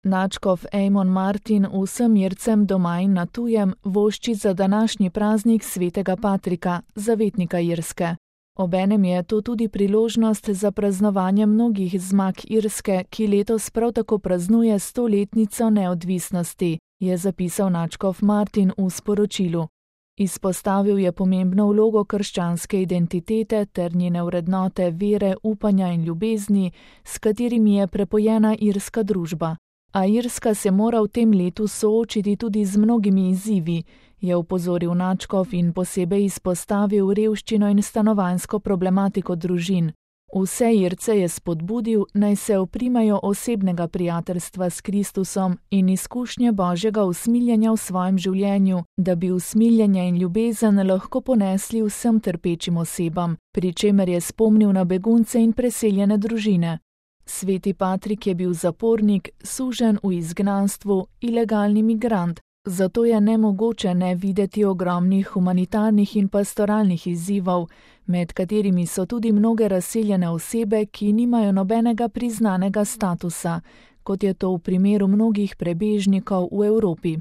Nadškof Eamon Martin vsem Ircem doma in na tujem vošči za današnji praznik svetega Patrika, zavetnika Irske. Obenem je to tudi priložnost za praznovanje mnogih zmag Irske, ki letos prav tako praznuje 100-letnico neodvisnosti, je zapisal nadškof Martin v sporočilu. Izpostavil je pomembno vlogo krščanske identitete ter njene vrednote vere, upanja in ljubezni, s katerimi je prepojena irska družba. A Irska se mora v tem letu soočiti tudi z mnogimi izzivi, je opozoril nadškof in posebej izpostavil revščino in stanovanjsko problematiko družin. Vse Irce je spodbudil, naj se oprimajo osebnega prijateljstva s Kristusom in izkušnje Božjega usmiljenja v svojem življenju, da bi usmiljenje in ljubezen lahko ponesli vsem trpečim osebam, pri čemer je spomnil na begunce in preseljene družine. Sveti Patrik je bil zapornik, suženj v izgnanstvu, ilegalni migrant, zato je nemogoče ne videti ogromnih humanitarnih in pastoralnih izzivov, med katerimi so tudi mnoge razseljene osebe, ki nimajo nobenega priznanega statusa, kot je to v primeru mnogih prebežnikov v Evropi.